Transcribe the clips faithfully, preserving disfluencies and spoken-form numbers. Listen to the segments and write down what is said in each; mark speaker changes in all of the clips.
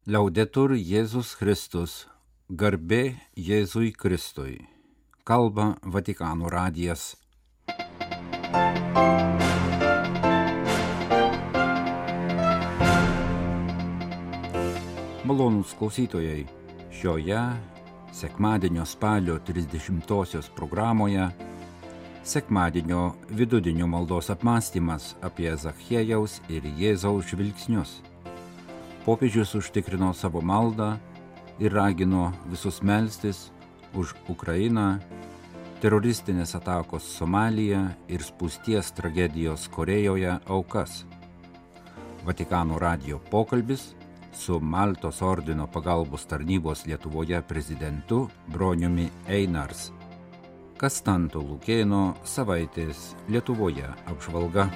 Speaker 1: Liaudetur Jėzus Kristus, garbė Jėzui Kristui. Kalba Vatikano radijas. Malonūs klausytojai, šioje sekmadienio spalio trisdešimtosios programoje sekmadienio vidudienio maldos apmąstymas apie Zachiejaus ir Jėzaus žvilgsnius. Popiežius užtikrino savo maldą ir ragino visus melstis už Ukrainą, teroristinės atakos Somalija ir spūsties tragedijos Korėjoje aukas. Vatikano radijo pokalbis su Maltos ordino pagalbos tarnybos Lietuvoje prezidentu Broniumi Einars. Kastanto Lukėno savaitės Lietuvoje apžvalga.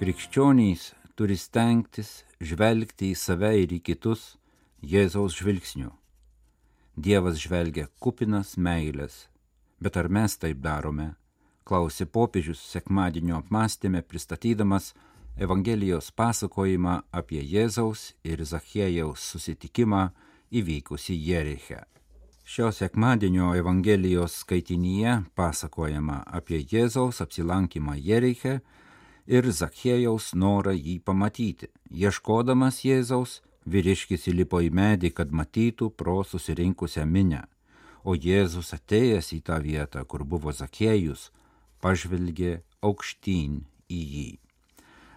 Speaker 1: Krikščionys turi stengtis žvelgti į save ir į kitus Jėzaus žvilgsniu. Dievas žvelgia kupinas meilės, bet ar mes taip darome? Klausė popiežius sekmadienio apmąstyme, pristatydamas Evangelijos pasakojimą apie Jėzaus ir Zachiejaus susitikimą įvykusį Jeriche. Šio sekmadienio Evangelijos skaitinyje pasakojama apie Jėzaus apsilankymą Jeriche ir Zachiejaus norą jį pamatyti. Ieškodamas Jėzaus, vyriškis įlipo į medį, kad matytų pro susirinkusią minią, o Jėzus atėjęs į tą vietą, kur buvo Zachiejus, pažvelgė aukštyn į jį.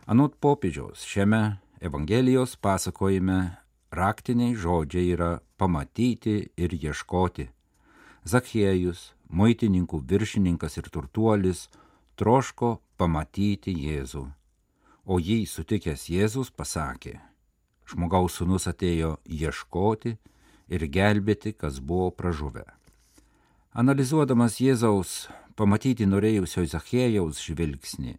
Speaker 1: Anot popiežiaus, šiame Evangelijos pasakojime raktiniai žodžiai yra pamatyti ir ieškoti. Zachiejus, muitininkų viršininkas ir turtuolis, troško pamatyti Jėzų, o jį sutikęs Jėzus pasakė: žmogaus sūnus atėjo ieškoti ir gelbėti, kas buvo pražuvę. Analizuodamas Jėzaus pamatyti norėjusio Zachiejaus žvilgsnį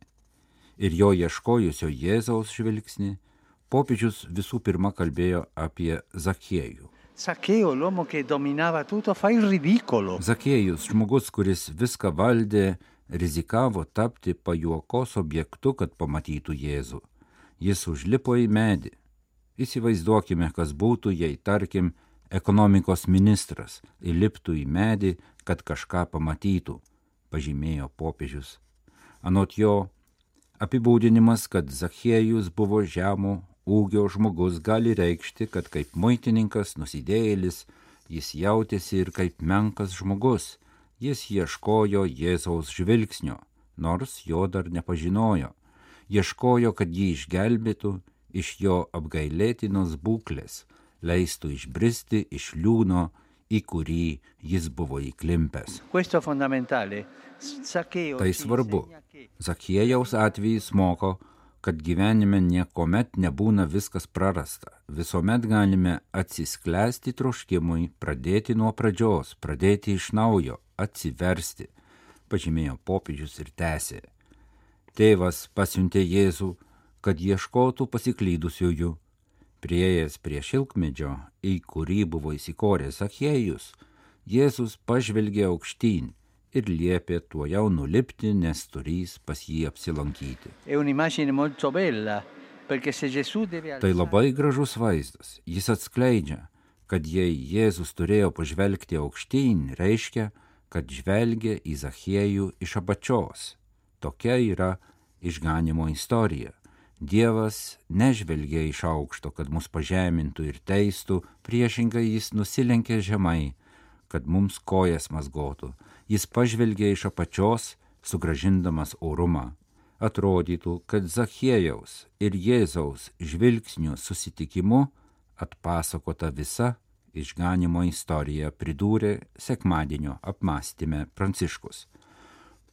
Speaker 1: ir jo ieškojusio Jėzaus žvilgsnį, popiežius visų pirma kalbėjo apie Zachiejų.
Speaker 2: Zaccheo, l'uomo che dominava tutto, fa il ridicolo.
Speaker 1: Zachiejus, žmogus, kuris viską valdė, rizikavo tapti pajuokos objektu, kad pamatytų Jėzų. Jis užlipo į medį. Įsivaizduokime, kas būtų, jei, tarkim, ekonomikos ministras įliptų į medį, kad kažką pamatytų, pažymėjo popiežius. Anot jo, apibūdinimas, kad Zachiejus buvo žemo ūgio žmogus, gali reikšti, kad kaip muitininkas, nusidėjėlis, jis jautėsi ir kaip menkas žmogus. Jis ieškojo Jėzaus žvilgsnio, nors jo dar nepažinojo. Ieškojo, kad jį išgelbėtų iš jo apgailėtinos būklės, leistų išbristi iš liūno, į kurį jis buvo įklimpęs. Tai svarbu. Zachiejaus atvejis moko, kad gyvenime niekuomet nebūna viskas prarasta. Visuomet galime atsisklęsti troškimui, pradėti nuo pradžios, pradėti iš naujo, atsiversti, pažymėjo popiežius ir tęsė. Tėvas pasiuntė Jėzų, kad ieškotų pasiklydusiųjų. Priėjęs prie šilkmedžio, į kurį buvo įsikoręs Zachiejus, Jėzus pažvelgė aukštyn ir liepė tuojau nulipti, nes turys pas jį apsilankyti. Tai labai gražus vaizdas. Jis atskleidžia, kad jei Jėzus turėjo pažvelgti aukštyn, reiškia, kad žvelgia į Zachiejų iš apačios. Tokia yra išganymo istorija. Dievas nežvelgia iš aukšto, kad mus pažemintų ir teistų, priešingai jis nusilenkė žemai, kad mums kojas mazgotų. Jis pažvelgia iš apačios, sugrąžindamas orumą. Atrodytų, kad Zachiejaus ir Jėzaus žvilgsnių susitikimu atpasakota visa išganymo istorija, pridūrė sekmadienio apmąstyme Pranciškus.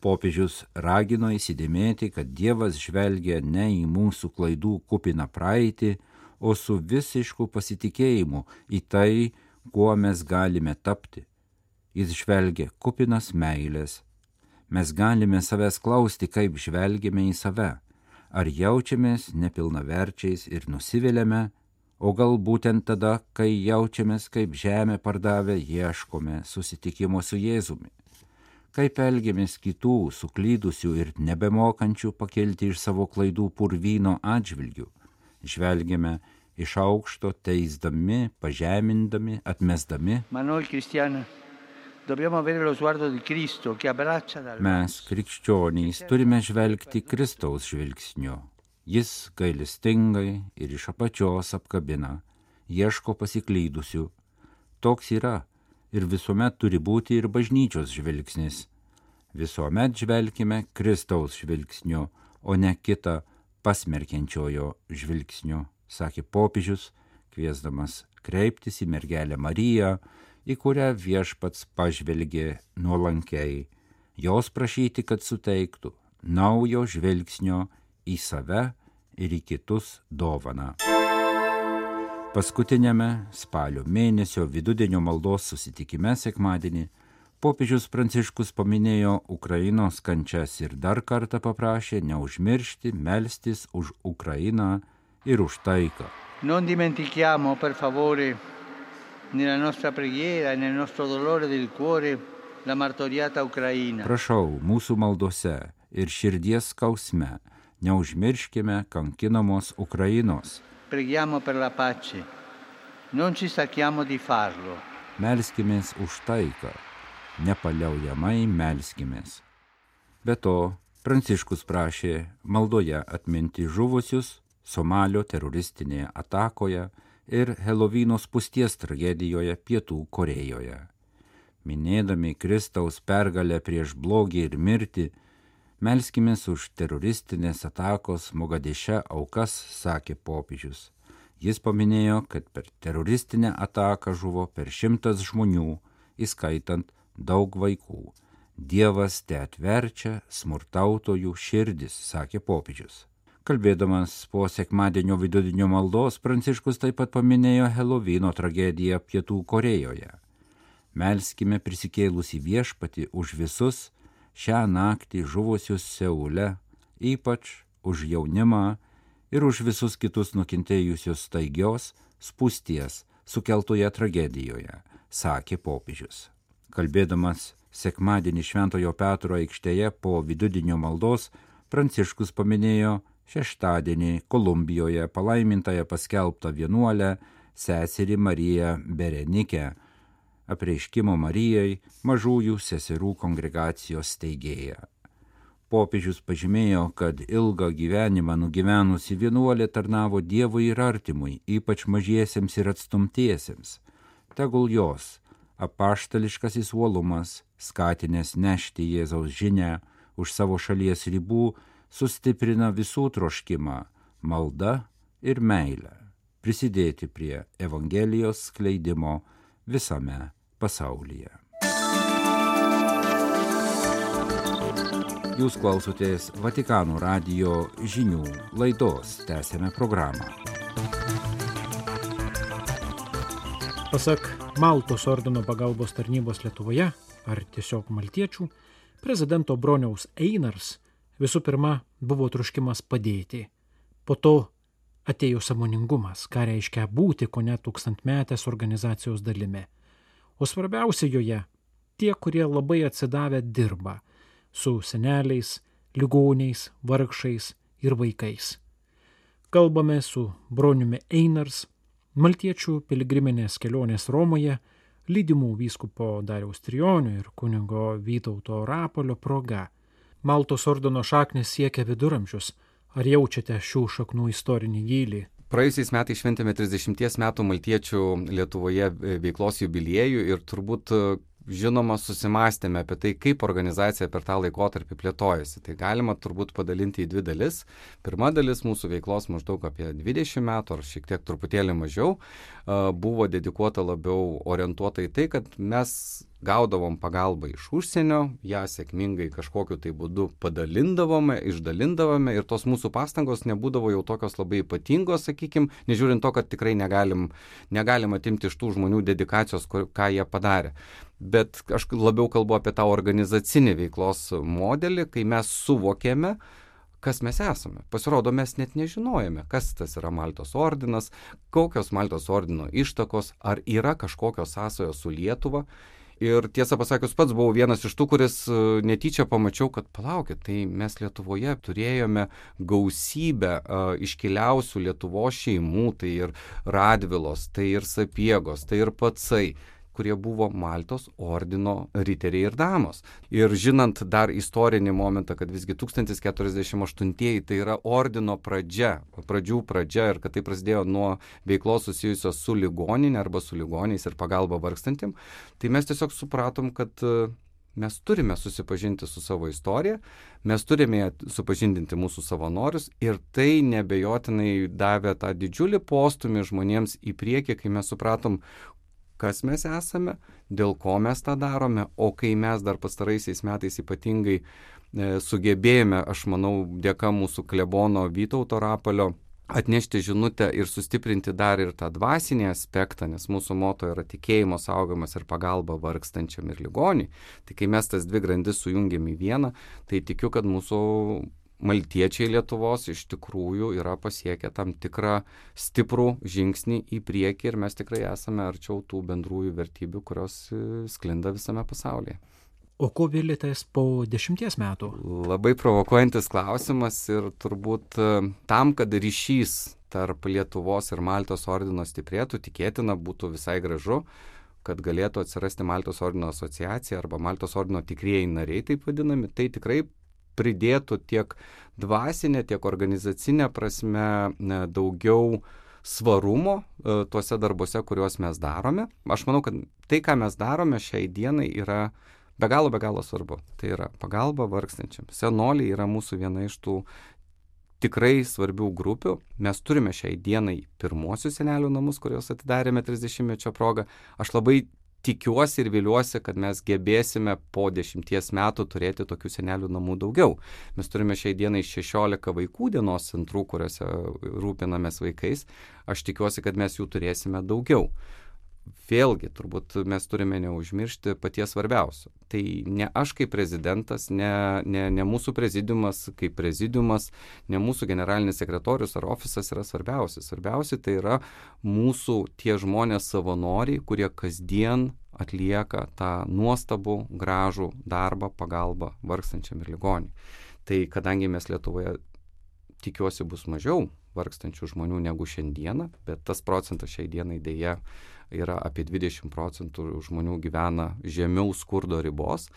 Speaker 1: Popiežius ragino įsidėmėti, kad Dievas žvelgia ne į mūsų klaidų kupiną praeitį, o su visišku pasitikėjimu į tai, kuo mes galime tapti. Jis žvelgia kupinas meilės. Mes galime savęs klausti, kaip žvelgiame į save. Ar jaučiamės nepilnaverčiais ir nusiviliame, o gal būtent tada, kai jaučiamės kaip žemę pardavę, ieškome susitikimo su Jėzumi. kaip elgiamės kitų suklydusių ir nebemokančių pakelti iš savo klaidų purvyno atžvilgių. Žvelgiame iš aukšto, teisdami, pažemindami, atmesdami. Mes, krikščionys, turime žvelgti Kristaus žvilgsniu. Jis gailestingai ir iš apačios apkabina, ieško pasiklydusių. Toks yra ir visuomet turi būti ir bažnyčios žvilgsnis. Visuomet žvelkime Kristaus žvilgsniu, o ne kitą pasmerkiančiojo žvilgsniu, sakė popiežius, kviesdamas kreiptis į mergelę Mariją, į kurią viešpats pažvelgė nuolankiai, jos prašyti, kad suteiktų naujo žvilgsnio į save ir į kitus dovaną. Paskutinėme spalio mėnesio vidudienio maldos susitikime sekmadienį popiežius Pranciškus paminėjo Ukrainos kančias ir dar kartą paprašė neužmiršti melstis už Ukrainą ir už taiką.
Speaker 2: Non dimentichiamo, per favore, nella nostra preghiera e nel nostro dolore del cuore, la martoriata Ucraina.
Speaker 1: Prašau, mūsų maldose ir širdies skausme neužmirškime kankinamos Ukrainos.
Speaker 2: Preghiamo per la pace, non ci stanchiamo di farlo.
Speaker 1: Melskimės už taiką, nepaliaujamai melskimės. Be to, Pranciškus prašė maldoje atminti žuvusius Somalio teroristinėje atakoje ir Helovyno spūsties tragedijoje Pietų Korėjoje. Minėdami Kristaus pergalę prieš blogį ir mirtį, melskimės už teroristinės atakos Mogadeše aukas, sakė popiežius. Jis paminėjo, kad per teroristinę ataką žuvo per šimtas žmonių, įskaitant daug vaikų. Dievas te atverčia smurtautojų širdis, sakė popiežius. Kalbėdamas po sekmadienio vidudienio maldos, Pranciškus taip pat paminėjo Helovyno tragediją Pietų Korėjoje. Melskime prisikėlusį viešpatį už visus šią naktį žuvusius Seule, ypač už jaunimą ir už visus kitus nukentėjusius staigios spūsties sukeltoje tragedijoje, sakė popiežius. Kalbėdamas sekmadienį Šventojo Petro aikštėje po vidudienio maldos, Pranciškus paminėjo šeštadienį Kolumbijoje palaimintąją paskelbtą vienuolę seserį Mariją Berenikę, Apreiškimo Marijai mažųjų seserų kongregacijos steigėja. Popiežius pažymėjo, kad ilgą gyvenimą nugyvenusi vienuolė tarnavo Dievui ir artimui, ypač mažiesiems ir atstumtiesiems. Tegul jos apaštališkasis uolumas, skatinęs nešti Jėzaus žinią už savo šalies ribų, sustiprina visų troškimą, maldą ir meilę, prisidėti prie Evangelijos skleidimo visame pasaulyje. Jūs klausotės Vatikano radijo žinių laidos, tęsiame programą.
Speaker 3: Pasak Maltos ordino pagalbos tarnybos Lietuvoje, ar tiesiog maltiečių, prezidento Broniaus Einars visų pirma buvo troškimas padėti. Po to atėjo sąmoningumas, ką reiškia būti kone tūkstantmetės organizacijos dalimi. O svarbiausia joje tie, kurie labai atsidavę dirba su seneliais, ligoniais, vargšais ir vaikais. Kalbame su Broniumi Einars, maltiečių piligriminės kelionės Romoje, lydimų vyskupo Dariaus Trijonio ir kunigo Vytauto Rapolio proga. Maltos ordino šaknys siekia viduramžius. Ar jaučiate šių šaknų istorinį gylį?
Speaker 4: Praėjusiais metais šventėme trisdešimties metų maltiečių Lietuvoje veiklos jubiliejų ir turbūt žinoma susimastėme apie tai, kaip organizacija per tą laikotarpį plėtojasi. Tai galima turbūt padalinti į dvi dalis. Pirma dalis mūsų veiklos maždaug apie dvidešimt metų ar šiek tiek truputėlį mažiau buvo dedikuota labiau orientuota į tai, kad mes gaudavom pagalbą iš užsienio, ją sėkmingai kažkokiu tai būdu padalindavome, išdalindavome ir tos mūsų pastangos nebūdavo jau tokios labai ypatingos, sakykime, nežiūrint to, kad tikrai negalim, negalim atimti iš tų žmonių dedikacijos, ką jie padarė. Bet aš labiau kalbu apie tą organizacinį veiklos modelį, kai mes suvokėme, kas mes esame. Pasirodo, mes net nežinojame, kas tas yra Maltos ordinas, kokios Maltos ordino ištakos, ar yra kažkokios sąsajos su Lietuva. Ir tiesą pasakius, pats buvau vienas iš tų, kuris netyčia pamačiau, kad palaukit, tai mes Lietuvoje turėjome gausybę uh, iškiliausių Lietuvos šeimų, tai ir Radvilos, tai ir Sapiegos, tai ir Pacai, kurie buvo Maltos ordino riteriai ir damos. Ir žinant dar istorinį momentą, kad visgi tūkstantis keturiasdešimt aštuntieji tai yra ordino pradžia, pradžių pradžia ir kad tai prasidėjo nuo veiklos susijusios su ligoninė arba su ligoniais ir pagalba vargstantim, tai mes tiesiog supratom, kad mes turime susipažinti su savo istorija, mes turime supažindinti mūsų savanorius ir tai nebejotinai davė tą didžiulį postūmį žmonėms į priekį, kai mes supratom, kas mes esame, dėl ko mes tą darome, o kai mes dar pastaraisiais metais ypatingai e, sugebėjome, aš manau, dėka mūsų klebono Vytauto Rapalio, atnešti žinutę ir sustiprinti dar ir tą dvasinį aspektą, nes mūsų moto yra tikėjimo saugojimas ir pagalba vargstančiam ir ligoniui. Tai kai mes tas dvi grandis sujungiam į vieną, tai tikiu, kad mūsų maltiečiai Lietuvos iš tikrųjų yra pasiekę tam tikrą stiprų žingsnį į priekį ir mes tikrai esame arčiau tų bendrųjų vertybių, kurios sklinda visame pasaulyje.
Speaker 3: O ko vėlitės po dešimties metų?
Speaker 4: Labai provokuojantis klausimas ir turbūt tam, kad ryšys tarp Lietuvos ir Maltos ordino stiprėtų, tikėtina būtų visai gražu, kad galėtų atsirasti Maltos ordino asociacija arba Maltos ordino tikrieji nariai, taip vadinami, tai tikrai pridėtų tiek dvasinė, tiek organizacinė prasme daugiau svarumo e, tuose darbuose, kuriuos mes darome. Aš manau, kad tai, ką mes darome šiai dienai, yra be galo, be galo svarbu. Tai yra pagalba vargstančiam. Senoliai yra mūsų viena iš tų tikrai svarbių grupių. Mes turime šiai dienai pirmosius senelių namus, kuriuos atidarėme trisdešimtmečio progą. Aš labai tikiuosi ir viliuosi, kad mes gebėsime po dešimties metų turėti tokių senelių namų daugiau. Mes turime šiai dienai šešiolika vaikų dienos centrų, kuriuose rūpinamės vaikais. Aš tikiuosi, kad mes jų turėsime daugiau. Vėlgi, turbūt mes turime neužmiršti paties svarbiausio. Tai ne aš kaip prezidentas, ne, ne, ne mūsų prezidiumas kaip prezidiumas, ne mūsų generalinis sekretorius ar ofisas yra svarbiausi. Svarbiausi tai yra mūsų tie žmonės savanoriai, kurie kasdien atlieka tą nuostabų, gražų darbą, pagalbą vargstančiam ir ligoniui. Tai kadangi mes Lietuvoje tikiuosi bus mažiau vargstančių žmonių negu šiandieną, bet tas procentas šiai dienai dėja yra apie dvidešimt procentų žmonių gyvena žemiau skurdo ribos,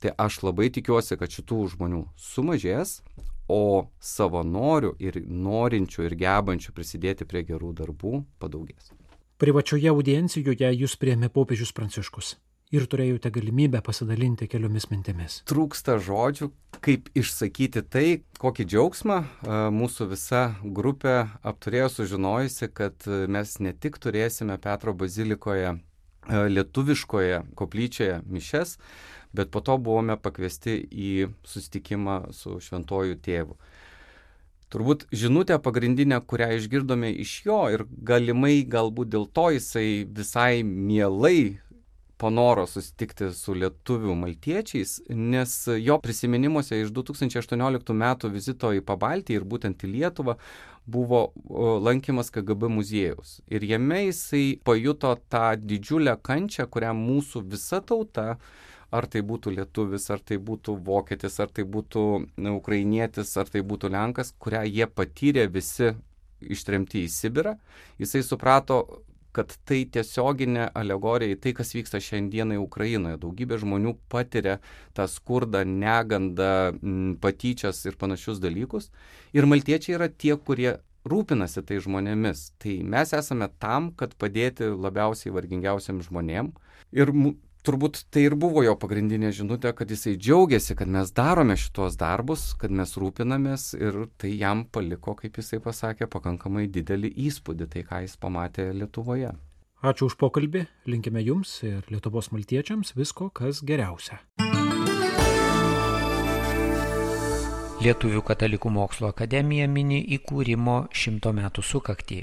Speaker 4: tai aš labai tikiuosi, kad šitų žmonių sumažės, o savanorių ir norinčių ir gebančių prisidėti prie gerų darbų padaugės.
Speaker 3: Privačioje audiencijoje jūs priėmė popiežius Pranciškus ir turėjote galimybę pasidalinti keliomis mintimis.
Speaker 4: Trūksta žodžių, kaip išsakyti tai, kokį džiaugsmą mūsų visa grupė apturėjo sužinojusi, kad mes ne tik turėsime Petro bazilikoje lietuviškoje koplyčioje mišes, bet po to buvome pakviesti į susitikimą su šventuoju tėvu. Turbūt žinutė pagrindinė, kurią išgirdome iš jo ir galimai galbūt dėl to jisai visai mielai panoro susitikti su lietuvių maltiečiais, nes jo prisiminimuose iš du tūkstančiai aštuonioliktų metų vizito į Pabaltį ir būtent į Lietuvą buvo lankymas K G B muziejaus. Ir jame jisai pajuto tą didžiulę kančią, kurią mūsų visa tauta, ar tai būtų lietuvis, ar tai būtų vokietis, ar tai būtų ukrainietis, ar tai būtų lenkas, kurią jie patyrė visi ištremti į Sibirą. Jisai suprato, kad tai tiesioginė alegorija į tai, kas vyksta šiandienai Ukrainoje. Daugybė žmonių patiria tą skurdą, negandą, patyčias ir panašius dalykus. Ir maltiečiai yra tie, kurie rūpinasi tai žmonėmis. Tai mes esame tam, kad padėti labiausiai vargingiausiam žmonėm. Ir turbūt tai ir buvo jo pagrindinė žinutė, kad jisai džiaugiasi, kad mes darome šitos darbus, kad mes rūpinamės ir tai jam paliko, kaip jisai pasakė, pakankamai didelį įspūdį, tai ką jis pamatė Lietuvoje.
Speaker 3: Ačiū už pokalbį, linkime jums ir Lietuvos maltiečiams visko, kas geriausia.
Speaker 5: Lietuvių katalikų mokslo akademija mini įkūrimo šimto metų sukaktį.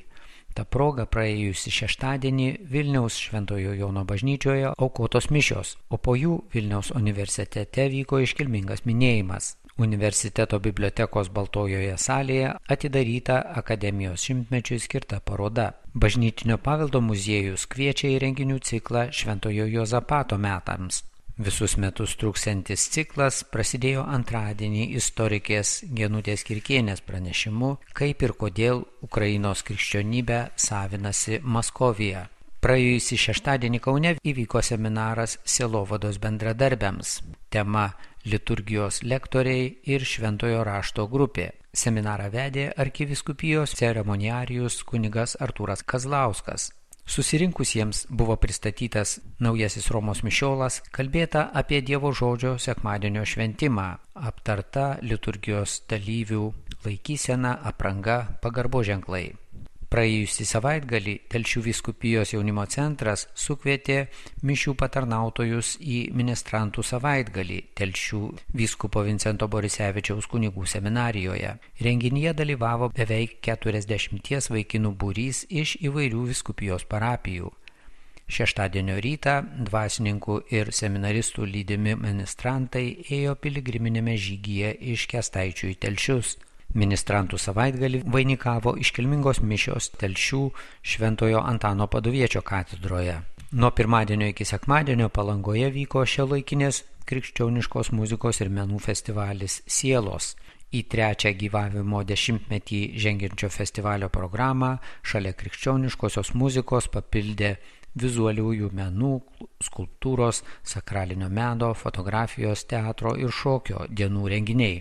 Speaker 5: Ta proga praėjusį šeštadienį Vilniaus Šventojo Jono bažnyčioje aukotos mišios, o po jų Vilniaus universitete vyko iškilmingas minėjimas. Universiteto bibliotekos Baltojoje salėje atidaryta akademijos šimtmečiui skirta paroda. Bažnytinio paveldo muziejus kviečia į renginių ciklą Šventojo Juozapato metams. Visus metus truksiantis ciklas prasidėjo antradienį istorikės Genutės Kirkienės pranešimu, kaip ir kodėl Ukrainos krikščionybę savinasi Maskovija. Praėjusį šeštadienį Kaune įvyko seminaras sielovados bendradarbiams. Tema liturgijos lektoriai ir šventojo rašto grupė. Seminarą vedė arkivyskupijos ceremoniarijus kunigas Artūras Kazlauskas. Susirinkusiems buvo pristatytas naujasis Romos mišiolas, kalbėta apie Dievo žodžio sekmadienio šventimą, aptarta liturgijos dalyvių laikysena, apranga, pagarbo ženklai. Praėjusį savaitgalį Telšių vyskupijos jaunimo centras sukvietė mišių patarnautojus į ministrantų savaitgalį Telšių vyskupo Vincento Borisevičiaus kunigų seminarijoje. Renginyje dalyvavo beveik keturiasdešimties vaikinų būrys iš įvairių vyskupijos parapijų. Šeštadienio rytą dvasininkų ir seminaristų lydimi ministrantai ėjo piligriminėme žygyje iš Kęstaičių į Telšius. Ministrantų savaitgalį vainikavo iškilmingos mišios Telšių Šventojo Antano Paduviečio katedroje. Nuo pirmadienio iki sekmadienio Palangoje vyko šiuolaikinės krikščioniškos muzikos ir menų festivalis Sielos. Į trečią gyvavimo dešimtmetį žengiančio festivalio programą šalia krikščioniškosios muzikos papildė vizualiųjų menų, skulptūros, sakralinio meno, fotografijos, teatro ir šokio dienų renginiai.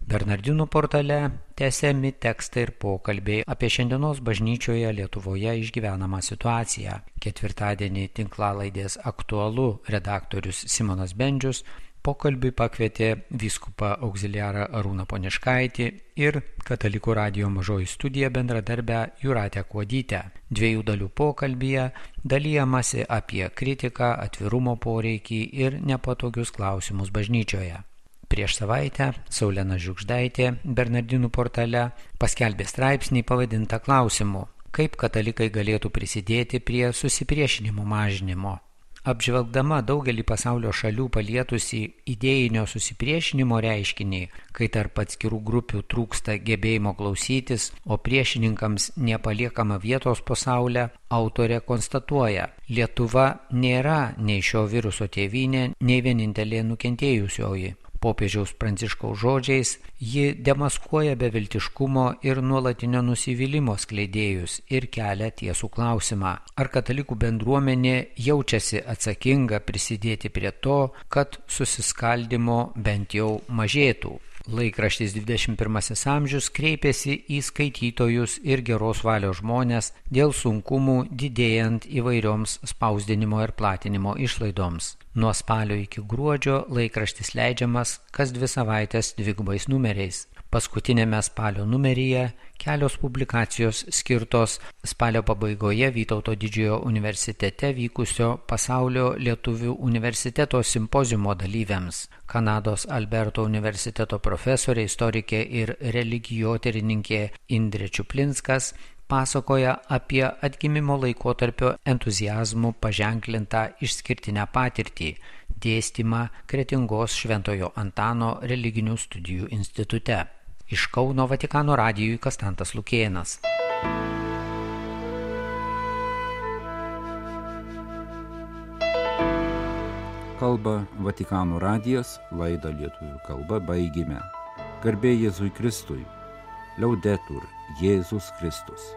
Speaker 5: Bernardinų portale tęsiami tekstai ir pokalbiai apie šiandienos bažnyčioje Lietuvoje išgyvenamą situaciją. Ketvirtadienį tinklalaidės Aktualu redaktorius Simonas Bendžius pokalbiui pakvietė vyskupą auxiliarą Arūną Poniškaitį ir Katalikų radijo mažoji studija bendradarbę Jūratę Kuodytę. Dviejų dalių pokalbyje dalijamasi apie kritiką, atvirumo poreikį ir nepatogius klausimus bažnyčioje. Prieš savaitę Saulena Žiugždaitė Bernardinų portale paskelbė straipsnį pavadintą klausimu, kaip katalikai galėtų prisidėti prie susipriešinimo mažinimo. Apžvelgdama daugelį pasaulio šalių palietusi idėjinio susipriešinimo reiškinį, kai tarp atskirų grupių trūksta gebėjimo klausytis, o priešininkams nepaliekama vietos po saulę, autorė konstatuoja, Lietuva nėra nei šio viruso tėvynė, nei vienintelė nukentėjusioji. Popiežiaus Pranciškaus žodžiais, ji demaskuoja beviltiškumo ir nuolatinio nusivylimo skleidėjus ir kelia tiesų klausimą. Ar katalikų bendruomenė jaučiasi atsakinga prisidėti prie to, kad susiskaldimo bent jau mažėtų? Laikraštis dvidešimt pirmasis amžius kreipėsi į skaitytojus ir geros valios žmonės dėl sunkumų didėjant įvairioms spausdinimo ir platinimo išlaidoms. Nuo spalio iki gruodžio laikraštis leidžiamas kas dvi savaitės dvigubais numeriais. Paskutinėme spalio numeryje kelios publikacijos skirtos spalio pabaigoje Vytauto didžiojo universitete vykusio pasaulio lietuvių universiteto simpoziumo dalyviams. Kanados Alberto universiteto profesorė, istorikė ir religijotyrininkė Indrė Čiuplinskas pasakoja apie atgimimo laikotarpio entuziazmų paženklintą išskirtinę patirtį, dėstymą Kretingos Šventojo Antano religinių studijų institute. Iš Kauno Vatikano radijui Kastantas Lukėnas.
Speaker 1: Kalba Vatikano radijas, laidą lietuvių kalba baigime. Garbė Jėzui Kristui, Liaudetur Jėzus Kristus.